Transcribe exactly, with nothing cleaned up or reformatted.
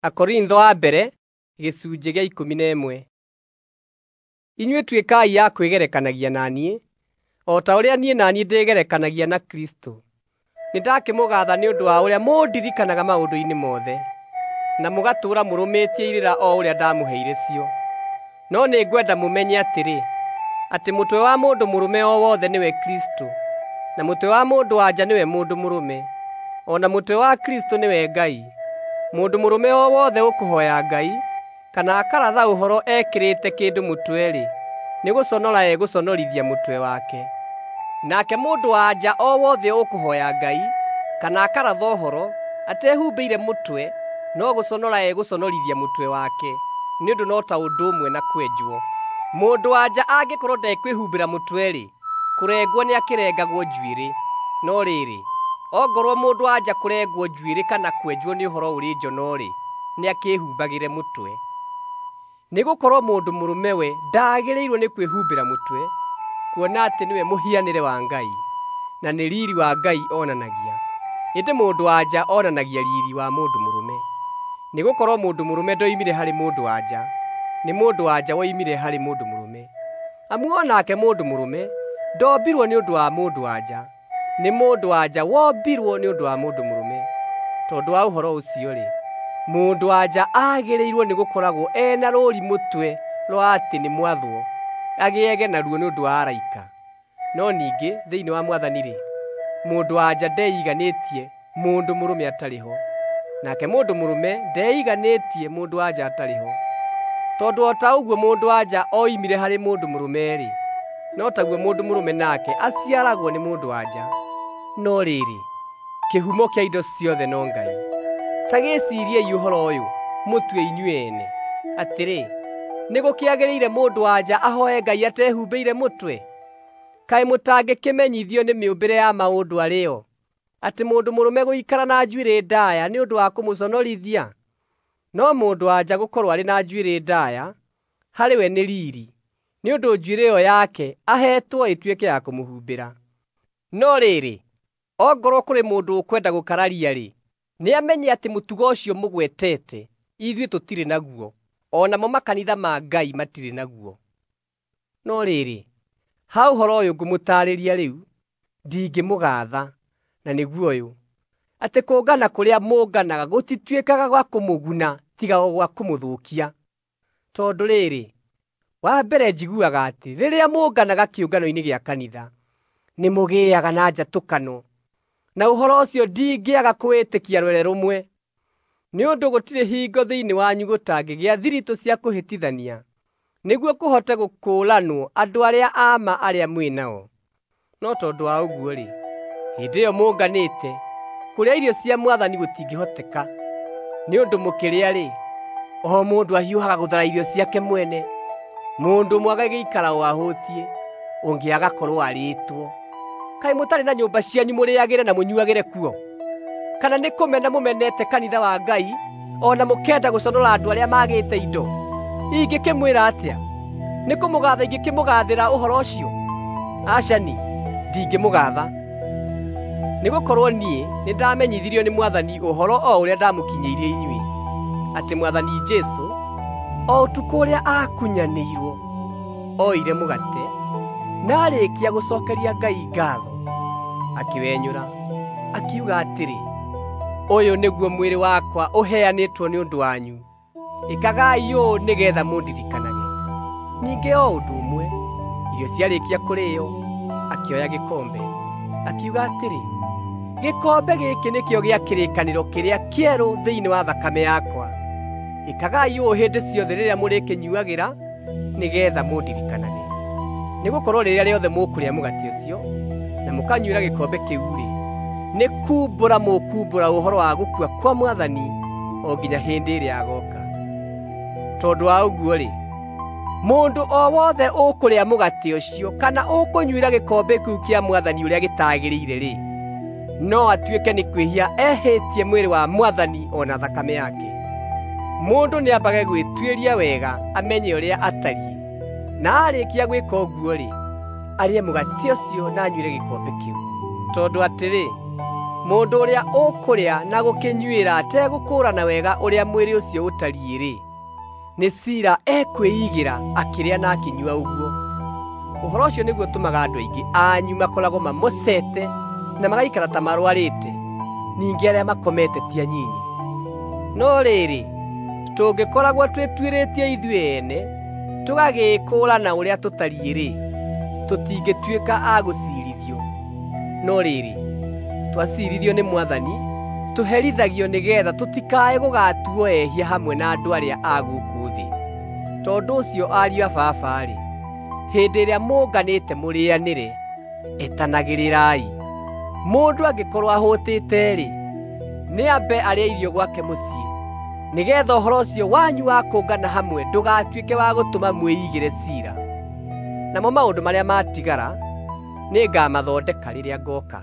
Akorintho a mbere gĩcunjĩ gĩa ikũmi na ĩmwe. Inyuĩ tuĩkai a kwĩgerekanagia na niĩ, o ta ũrĩa niĩ na niĩ ndĩgerekanagia na Kristũ. Nĩndakĩmũgatha nĩ ũndũ wa ũrĩa mũndirikanaga maũndũ-inĩ mothe, na mũgatũũra mũrũmĩtie irĩra o ũrĩa ndamũheire cio. No nĩngwenda mũmenye atĩrĩ, atĩ mũtwe wa mũndũ mũrũme o wothe nĩwe Kristũ, na mũtwe wa mũndũ-wa-nja nĩwe mũndũ mũrũme, o na mũtwe wa Kristũ nĩwe Ngai. Mũndũ mũrũme o wothe ũkũhooya Ngai, kana akaratha ũhoro ekĩrĩte kĩndũ mũtwe-rĩ, nĩgũconora egũconorithia mũtwe wake. Nake mũndũ-wa-nja o wothe ũkũhooya Ngai, kana akaratha ũhoro, atehumbĩire mũtwe, no gũconora egũconorithia mũtwe wake, nĩ ũndũ no ta ũndũ ũmwe na kwenjwo. Mũndũ-wa-nja angĩkorwo ndekwĩhumbĩra mũtwe-rĩ, kũrengwo nĩakĩrengagwo njuĩrĩ. No rĩrĩ, ongorwo mũndũ-wa-nja kũrengwo njuĩrĩ kana kwenjwo nĩ ũhoro ũrĩ njono-rĩ, nĩakĩhumbagĩre mũtwe. Nĩgũkorwo mũndũ mũrũme we ndaagĩrĩirwo nĩ kwĩhumbĩra mũtwe, kuona atĩ nĩwe mũhianĩre wa Ngai, na nĩ riiri wa Ngai onanagia. Ĩndĩ mũndũ-wa-nja onanagia riiri wa mũndũ mũrũme. Nĩgũkorwo mũndũ mũrũme ndoimire harĩ mũndũ-wa-nja, nĩ mũndũ-wa-nja woimire harĩ mũndũ mũrũme. Amu o nake mũndũ mũrũme ndombirwo nĩ ũndũ wa mũndũ-wa-nja, nĩ mũndũ-wa-nja wombirwo nĩ ũndũ wa mũndũ mũrũme. Tondũ wa ũhoro ũcio-rĩ, mũndũ-wa-nja aagĩrĩirwo nĩgũkoragwo e na rũũri mũtwe rwa atĩ nĩ mwathwo, agĩage naruo nĩ ũndũ wa araika. No ningĩ thĩinĩ wa Mwathani-rĩ, mũndũ-wa-nja ndeiganĩtie mũndũ mũrũme atarĩ ho, nake mũndũ mũrũme ndeiganĩtie mũndũ-wa-nja atarĩ ho. Tondũ o ta ũguo mũndũ-wa-nja oimire harĩ mũndũ mũrũme-rĩ, no taguo mũndũ mũrũme nake aciaragwo nĩ mũndũ-wa-nja. No rĩrĩ, kĩhumo kĩa indo ciothe no Ngai. Ta gĩciriei ũhoro ũyũ mũtue inyuĩ ene, atĩrĩ, nĩgũkĩagĩrĩire mũndũ-wa-nja ahooe Ngai atehumbĩire mũtwe? Kaĩ mũtangĩkĩmenyithio nĩ mĩũmbĩre ya maũndũ arĩ yo, atĩ mũndũ mũrũme gũikara na njuĩrĩ ndaaya nĩ ũndũ wa kũmũconorithia? No mũndũ-wa-nja gũkorwo arĩ na njuĩrĩ ndaaya harĩ we nĩ riiri, nĩ ũndũ njuĩrĩ ĩyo yake aheetwo ĩtuĩke ya kũmũhumbĩra. No rĩrĩ, ongorwo kũrĩ mũndũ ũkwenda gũkararia-rĩ, nĩamenye atĩ mũtugo ũcio mũgwetete ithuĩ tũtirĩ naguo, o namo makanitha ma Ngai matirĩ naguo. No rĩrĩ, ha ũhoro ũyũ ngũmũtaarĩria rĩu, ndingĩmũgatha, na nĩguo ũyũ, atĩ kũngana kũrĩa mũnganaga gũtituĩkaga gwa kũmũguna tiga o gwa kũmũthũkia. Tondũ rĩrĩ, wa mbere njiguaga atĩ rĩrĩa mũnganaga kĩũngano-inĩ gĩa kanitha, nĩmũgĩaga na njatũkano, na ũhoro ũcio ndingĩaga kũwĩtĩkia rwere rũmwe. Nĩ ũndũ gũtirĩ hingo thĩinĩ wanyu gũtangĩgĩa thiritũ cia kũhĩtithania, nĩguo kũhote gũkũũranwo andũ arĩa a ma arĩa mwĩ nao. No tondũ wa ũguo-rĩ, hĩndĩ ĩyo mũnganĩte, kũrĩa irio cia Mwathani gũtingĩhoteka. Nĩ ũndũ mũkĩrĩa-rĩ, o mũndũ ahiũhaga gũthara irio ciake mwene. Mũndũ ũmwe agagĩikara o ahũtiĩ, ũngĩ agakorwo arĩĩtwo. Kaĩ mũtarĩ na nyũmba cianyu mũrĩagĩre na mũnyuagĩre kuo? Kana nĩ kũmena mũmenete kanitha wa Ngai, o na mũkenda gũconora andũ arĩa maagĩte indo? Ingĩkĩmwĩra atĩa? Nĩ kũmũgatha ingĩkĩmũgathĩra ũhoro ũcio? Aca-ni, ndingĩmũgatha. Nĩgũkorwo niĩ nĩndamenyithirio nĩ Mwathani ũhoro o ũrĩa ndamũkinyĩirie inyuĩ, atĩ Mwathani Jesũ, o ũtukũ ũrĩa aakunyanĩirwo, oire mũgate, na aarĩkia gũcookeria Ngai ngaatho, akĩwenyũra, akiuga atĩrĩ, “Ũyũ nĩguo mwĩrĩ wakwa ũheanĩtwo nĩ ũndũ wanyu. Ĩkagai ũũ nĩgeetha mũndirikanage.” Ningĩ o ũndũ ũmwe, irio ciarĩkia kũrĩĩo, akĩoya gĩkombe, akiuga atĩrĩ, “Gĩkombe gĩkĩ nĩkĩo gĩa kĩrĩkanĩro kĩrĩa kĩerũ thĩinĩ wa thakame yakwa. Ĩkagai ũũ hĩndĩ ciothe rĩrĩa mũrĩkĩnyuuagĩra nĩgeetha mũndirikanage.” Nĩgũkorwo rĩrĩa rĩothe mũkũrĩa mũgate ũcio na mũkanyuĩra gĩkombe kĩu-rĩ, nĩ kumbũra mũkumbũra ũhoro wa gũkua kwa Mwathani o nginya hĩndĩ ĩrĩa agooka. Tondũ wa ũguo-rĩ, mũndũ o wothe ũkũrĩa mũgate ũcio kana ũkũnyuĩra gĩkombe kĩu kĩa Mwathani ũrĩa gĩtagĩrĩire-rĩ, no atuĩke nĩ kwĩhia ehĩtie mwĩrĩ wa Mwathani o na thakame yake. Mũndũ nĩambage gwĩtuĩria wega amenye ũrĩa atariĩ, na aarĩkia gwĩka ũguo-rĩ, arĩe mũgate ũcio na anyuĩre gĩkombe kĩu. Tondũ atĩrĩ, Mũndũ ũrĩa ũkũrĩa na gũkĩnyuĩra ategũkũũrana wega ũrĩa mwĩrĩ ũcio ũtariĩ-rĩ, nĩ ciira ekwĩigĩra akĩrĩa na akĩnyua ũguo. Ũhoro ũcio nĩguo ũtũmaga andũ aingĩ anyu makoragwo mamocete na magaikara ta marwarĩte, ningĩ arĩa makomete ti anyinyi. No rĩrĩ, tũngĩkoragwo twĩtuĩrĩtie ithuĩ ene, tũgagĩĩkũũrana ũrĩa tũtariĩ-rĩ, tũtingĩtuĩka a gũciirithio. No rĩrĩ, twaciirithio nĩ Mwathani, tũherithagio nĩgeetha tũtikae gũgatuo ehia hamwe na andũ arĩa a gũkũ thĩ. Tondũ ũcio ariũ a Baba-rĩ, hĩndĩ ĩrĩa mũnganĩte mũrĩanĩre, etanagĩrĩrai. Mũndũ angĩkorwo ahũtĩte-rĩ, nĩambe arĩe irio gwake mũciĩ, nĩgeetha ũhoro ũcio wanyu wa kũngana hamwe ndũgatuĩke wa gũtũma mwĩigĩre ciira. Namo maũndũ marĩa matigara nĩngamathondeka rĩrĩa ngooka.